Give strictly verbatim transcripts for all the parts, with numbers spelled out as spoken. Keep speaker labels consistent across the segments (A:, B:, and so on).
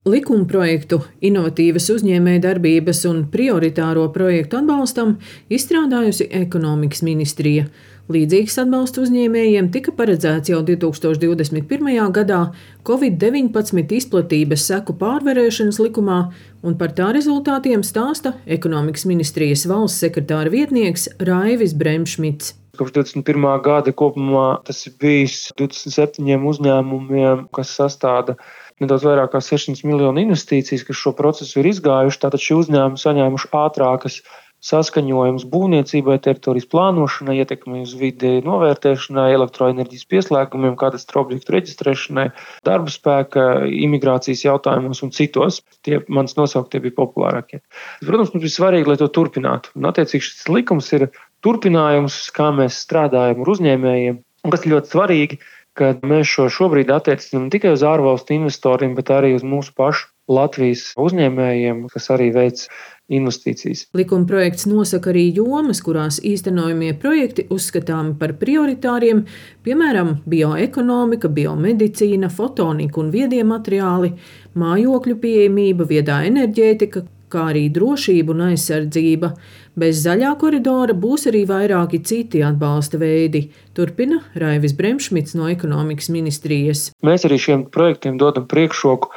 A: Likumprojektu inovatīvas uzņēmējdarbības un prioritāro projektu atbalstam izstrādājusi Ekonomikas ministrija. Līdzīgs atbalsts uzņēmējiem tika paredzēts jau divtūkstoš divdesmit pirmajā gadā covid deviņpadsmit izplatības seku pārvarēšanas likumā, un par tā rezultātiem stāsta Ekonomikas ministrijas valsts sekretāra vietnieks Raivis Bremšmits.
B: Kopš divdesmit pirmā gada kopumā tas ir bijis divdesmit septiņiem uzņēmumiem, kas sastāda nedaudz vairāk kā sešsimt miljonu investīcijas, kas šo procesu ir izgājuši. Tātad šie uzņēmumi saņēmuši ātrākas saskaņojumus būvniecībai, teritorijas plānošanai, ietekmei uz vidi novērtēšanai, elektroenerģijas pieslēgumiem, katastru objektu reģistrēšanai, darba spēka, imigrācijas jautājumos un citos. Tie manis nosauktie bija populārākie. Protams, mums bija svarīgi, lai to turpinātu. Un attiecīgi šis likums ir turpinājums, kā mēs strādājam ar uzņēmējiem. Un kas ļoti svarīgi, ka mēs šo šobrīd attiecinām ne tikai uz ārvalstu investoriem, bet arī uz mūsu pašu Latvijas uzņēmējiem, kas arī veic investīcijas.
A: Likumprojekts nosaka arī jomas, kurās īstenojamie projekti uzskatāmi par prioritāriem, piemēram, bioekonomika, biomedicīna, fotonika un viedie materiāli, mājokļu pieejamība, viedā enerģētika, kā arī drošība un aizsardzība. Bez zaļā koridora būs arī vairāki citi atbalsta veidi, turpina Raivis Bremšmits no Ekonomikas ministrijas.
B: Mēs arī šiem projektiem dodam priekšroku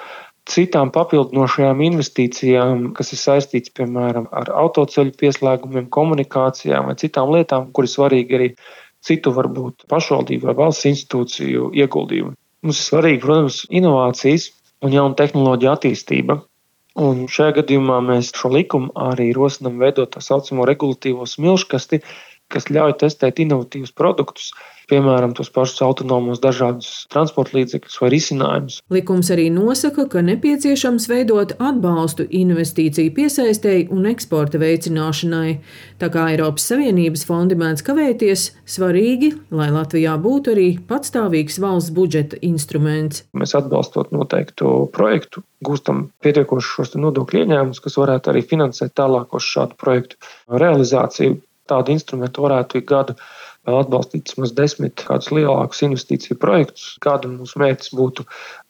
B: citām papildinošajām investīcijām, kas ir saistīts, piemēram, ar autoceļu pieslēgumiem, komunikācijām vai citām lietām, kur ir svarīgi arī citu varbūt pašvaldību vai valsts institūciju ieguldījumi. Mums ir svarīgi, protams, inovācijas un jauna tehnoloģija attīstība. Un šajā gadījumā mēs šo likumu arī rosinām veidot tā saucamo regulatīvo smilškasti, kas ļauj testēt inovatīvus produktus, piemēram, tos pašus autonomos dažādus transporta līdzekļus vai risinājumus.
A: Likums arī nosaka, ka nepieciešams veidot atbalstu investīciju piesaistei un eksporta veicināšanai. Tā kā Eiropas Savienības fondi mēdz kavēties, svarīgi, lai Latvijā būtu arī patstāvīgs valsts budžeta instruments.
B: Mēs atbalstot noteiktu projektu, gūstam pietiekošus šos nodokļu ieņēmumus, kas varētu arī finansēt tālākos šādu projektu realizāciju. Tādu instrumentu varētu ik gadu atbalstīt vismaz desmit kādus lielākus investīciju projektus. Gadu mūsu mērķis būtu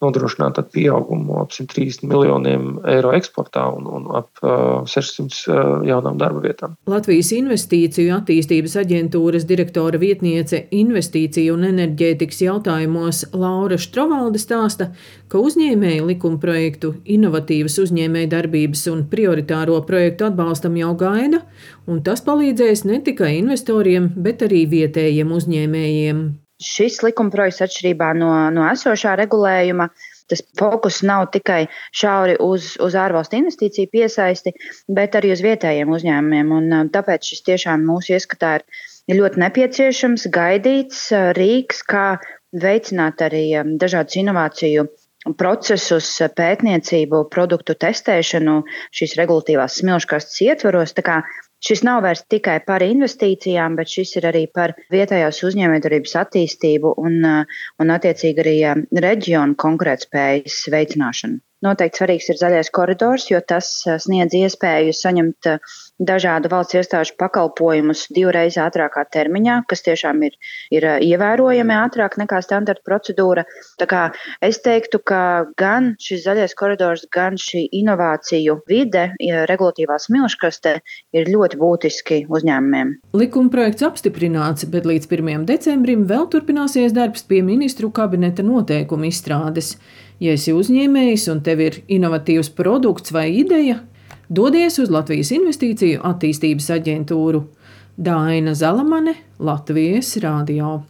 B: nodrošināt pieaugumu ap simt trīsdesmit miljoniem eiro eksportā un, un ap uh, sešsimt uh, jaunām darba vietām.
A: Latvijas Investīciju attīstības aģentūras direktora vietniece investīciju un enerģētikas jautājumos Laura Štrovalde stāsta, ka uzņēmēji likumprojektu inovatīvas uzņēmējdarbības un prioritāro projektu atbalstam jau gaida, un tas palīdzēs ne tikai investoriem, bet arī vietējiem uzņēmējiem.
C: Šis likumprojekts atšķirībā no, no esošā regulējuma, tas fokus nav tikai šauri uz, uz ārvalstu investīciju piesaisti, bet arī uz vietējiem uzņēmumiem. Un tāpēc šis tiešām mūsu ieskatā ir ļoti nepieciešams, gaidīts rīks, kā veicināt arī dažādus inovāciju procesus, pētniecību, produktu testēšanu šīs regulatīvās smilškastes ietvaros. Tā kā šis nav vairs tikai par investīcijām, bet šis ir arī par vietējās uzņēmējdarbības attīstību un, un attiecīgi arī reģionu konkurētspējas veicināšanu. Noteikti svarīgs ir zaļais koridors, jo tas sniedz iespēju saņemt dažādu valsts iestāžu pakalpojumus divreiz ātrākā termiņā, kas tiešām ir, ir ievērojami ātrāk nekā standarta procedūra. Tā kā es teiktu, ka gan šis zaļais koridors, gan šī inovāciju vide, regulatīvā smilškaste ir ļoti būtiski uzņēmumiem.
A: Likumprojekts apstiprināts, bet līdz pirmajam decembrim vēl turpināsies darbs pie ministru kabineta noteikumu izstrādes. Ja esi uzņēmējs un tev ir inovatīvs produkts vai ideja, dodies uz Latvijas Investīciju attīstības aģentūru. Daina Zalamane, Latvijas radio.